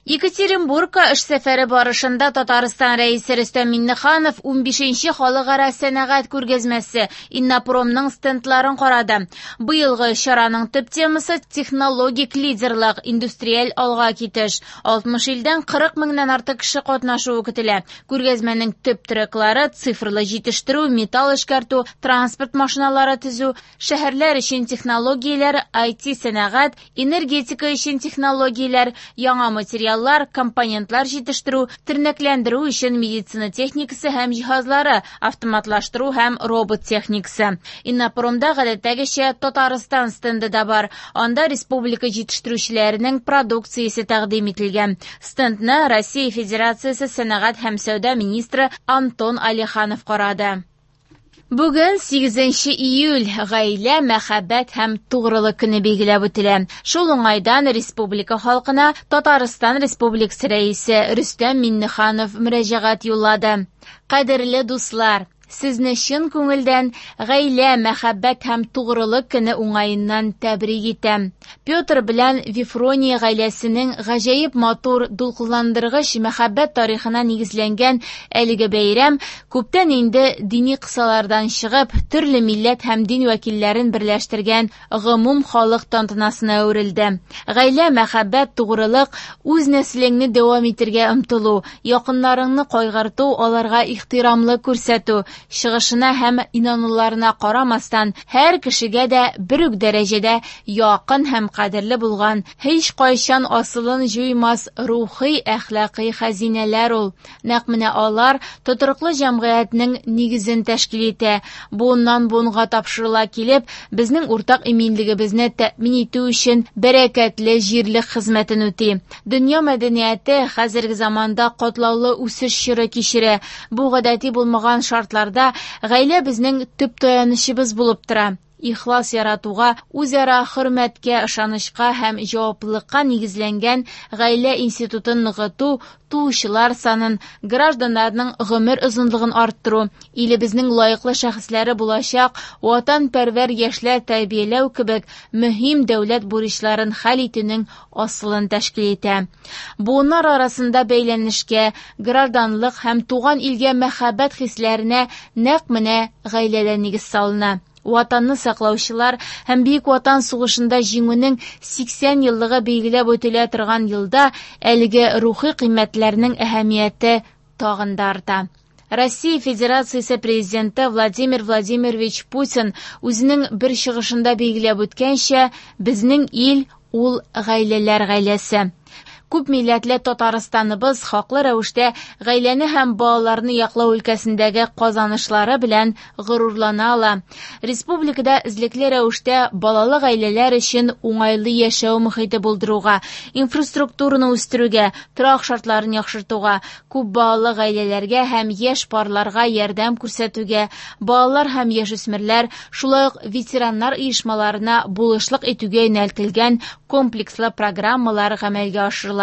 Екатеринбургка эш сәфәре барышында Татарстан Рәисе Рөстәм Миңнеханов 15нче халыкара сәнәгать күргәзмәсе Иннопромның стендларын карады. Быелгы чараның төп темасы технологик лидерлык, индустриаль алга китеш. 60 илдән 40 меңнән артык кеше катнашуы көтелә. Күргәзмәнең төп треклары цифрлы җитештерү, металл эшкәртү, транспорт машиналары төзү, шәһәрләр өчен технологияләр, IT-сәнәгать, энергетика өчен технологияләр, яңа материаллар, компонентлар җитештерү, тернәкләндерү өчен медицина техникасы һәм җиһазлары, автоматлаштыру һәм робот техникасы. Иннопромда гадәттәгечә Татарстан стенды да бар. Анда республика җитештерүчеләренең продукциясе тәкъдим ителгән. Стендны Россия Федерациясе сәнәгать һәм сәүдә министры Антон Алиханов карады. Бүген 8 июль гаилә, мәхәббәт һәм тугрылык көне билгеләп үтелә. Шул уңайдан республика халкына Татарстан Республикасы Рәисе Рөстәм Миңнеханов мөрәҗәгать юллады. Кадерле дуслар, сезне чын күңелдән гаилә, мәхәббәт һәм тугрылык көне уңаеннан тәбрик итәм. Петр белән Вифрония гаиләсенең гаҗәеп матур, дулкынландыргыч мәхәббәт тарихына нигезләнгән әлеге бәйрәм күптән инде дини кысалардан чыгып, төрле милләт һәм дин вәкилләрен берләштергән гомум халык тантанасына әверелде. Гаилә, мәхәббәт, тугрылык, үз нәселеңне дәвам итәргә омтылу, якыннарыңны кайгырту, аларга ихтирамлы күрсәтү, чыгышына һәм инануларына карамастан, һәр кешегә дә бер үк дәрәҗәдә якын һәм кадерле булган, һич кайчан асылын җуймас рухи әхлакый хәзинәләр ул. Нәкъ менә алар тотрыклы җәмгыятьнең нигезен тәшкил итә. Буыннан буынга тапшырыла килеп, безнең уртак иминлегебезне тәэмин итү өчен бәрәкәтле җирлек хезмәтен үти. Дөнья мәдәнияте хәзерге заманда катлаулы үсеш чоры кичерә. Бу гадәти булмаган шартларда гаилә безнең төп таянычыбыз булып тора. Ихлас яратуга, үзара хөрмәткә, ышанычка һәм җаваплылыкка нигезләнгән гаилә институтын ныгыту, туучылар санын, гражданнарның гомер озынлыгын арттыру, илебезнең лаеклы шәхесләре булачак ватанпәрвәр яшьләр тәрбияләү кебек мөһим дәүләт бурычларын хәл итүнең асылын тәшкил итә. Буыннар арасында бәйләнешкә, гражданлык һәм туган илгә мәхәббәт хисләренә нәкъ менә гаиләдә нигез салына. Ватанны саклаучылар һәм Бөек Ватан сугышында җиңүнең 80 еллыгы билгеләп үтелә торган елда әлеге рухи кыйммәтләрнең әһәмияте тагын да арта. Россия Федерациясе президенты Владимир Владимирович Путин үзенең бер чыгышында билгеләп үткәнчә, безнең ил ул гаиләләр гаиләсе. Күп милләтле Татарстаныбыз хаклы рәвештә гаиләне һәм балаларны яклау өлкәсендәге казанышлары белән горурлана ала. Республикада эзлекле рәвештә балалы гаиләләр өчен уңайлы яшәү мохите булдыруга, инфраструктураны үстерүгә, торак шартларын яхшыртуга, күп балалы гаиләләргә һәм яшь парларга ярдәм күрсәтүгә, балалар һәм яшүсмерләр, шулай ук ветераннар оешмаларына булышлык итүгә юнәлтелгән комплекслы программалар гамәлгә ашырыла.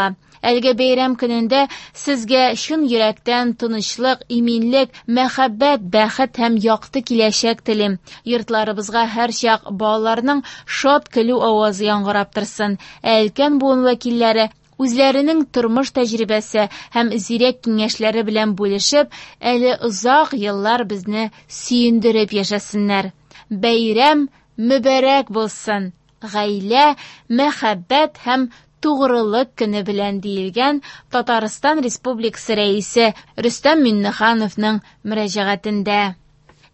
Әлеге бәйрәм көнендә сезгә чын йөрәктән тынычлык, иминлек, мәхәббәт, бәхет һәм якты киләчәк телим. Йортларыбызга һәрчак балаларның шат көлү авазы яңгырап торсын. Ә өлкән буын вәкилләре үзләренең тормыш тәҗрибәсе һәм зирәк киңәшләре белән бүлешеп, әле озак еллар безне сөендереп яшәсеннәр. Бәйрәм мөбарәк булсын! Гаилә, мәхәббәт һәм тугрылык көне белән диелгән Татарстан Республикасы Рәисе Рөстәм Миңнехановның мөрәҗәгатендә.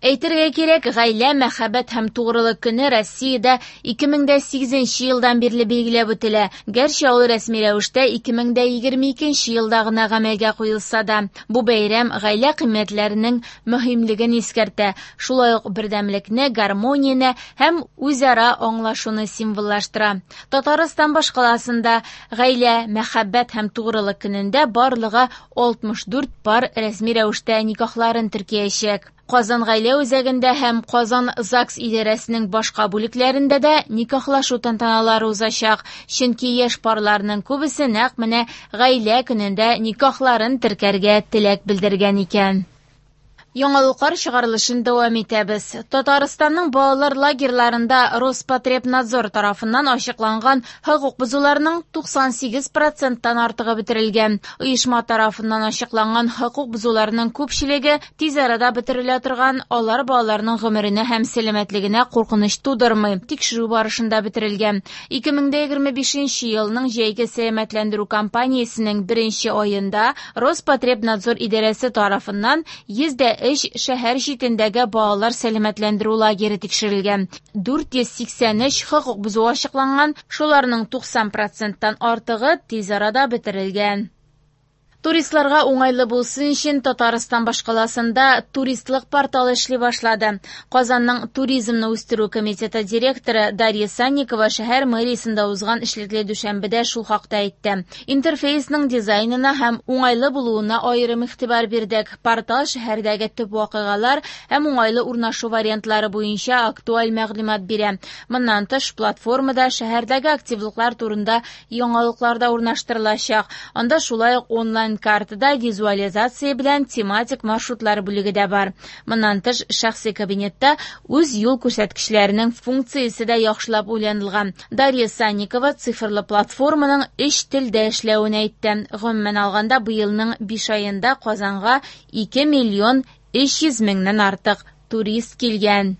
Әйтергә кирәк, гаилә, мәхәббәт һәм тугрылык көне Россиядә 2008 елдан бирле билгеләп үтелә. Гәрчә ул рәсми рәвештә 2022 елда гына гамәлгә куелса да, бу бәйрәм гаилә кыйммәтләренең мөһимлеген искәртә, шулай ук бердәмлекне, гармонияне һәм үзара аңлашуны символлаштыра. Татарстан башкаласында гаилә, мәхәббәт һәм тугрылык көнендә барлыгы 64 пар рәсми рәвештә никахларын теркәячәк. Казан гаилә үзәгендә һәм Казан ЗАГС идарәсенең башка бүлекләрендә дә никахлашу тантаналары узачак, чөнки яшь парларның күбесе нәкъ менә гаилә көнендә никахларын теркәргә теләк белдергән икән. Яңалыклар чыгарылышын дәвам итәбез. Татарстанның балалар лагерьларында Роспотребнадзор тарафыннан ачыкланган хокук бозуларның 98 проценттан артыгы бетерелгән. Оешма тарафыннан ачыкланган хокук бозуларның күпчелеге тиз арада бетерелә торган, алар балаларның гомеренә һәм сәламәтлегенә куркыныч тудырмый. Тикшерү барышында бетерелгән. 2025 елның җәйге сәламәтләндерү кампаниясенең беренче аенда Роспотребнадзор идарәсе тарафыннан 103 шәһәр читендәге балалар сәламәтләндерү лагере тикшерелгән. 483 хокук бозу ачыкланган, шуларның 90 проценттан артыгы тиз арада бетерелгән. Туристларга уңайлы булсын өчен Татарстан башкаласында туристлык порталы эшли башлады. Казанның туризмны үстерү комитеты директоры Дарья Санникова шәһәр мэриясендә узган эшлекле дүшәмбедә шул хакта әйтте. Интерфейсның дизайнына һәм уңайлы булуына аерым игътибар бирдек. Портал шәһәрдәге төп вакыйгалар һәм уңайлы урнашу вариантлары буенча актуаль мәгълүмат бирә. Моннан тыш, платформада шәһәрдәге активлыклар турында яңалыклар да урнаштырылачак. Анда шулай ук онлайн картада визуализация белән тематик маршрутлар бүлеге дә бар. Моннан тыш, шәхси кабинетта үз юл күрсәткечләренең функциясе дә яхшылап уйланылган. Дарья Санникова цифрлы платформаның өч телдә эшләвен әйтте. Гомумән алганда, быелның 5 аенда Казанга 2 миллион 300 меңнән артык турист килгән.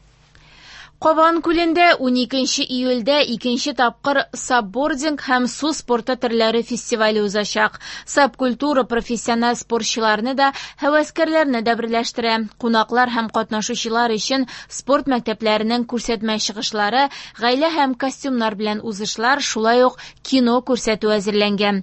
Кабан күлендә 12 июльдә икенче тапкыр сапбординг һәм су спорты төрләре фестивале узачак. Сапкультура профессиональ спортчыларны да, һәвәскәрләрне дә берләштерә. Кунаклар һәм катнашучылар өчен спорт мәктәпләренең күрсәтмә чыгышлары, гаилә һәм костюмнар белән узышлар, шулай ук кино күрсәтү әзерләнгән.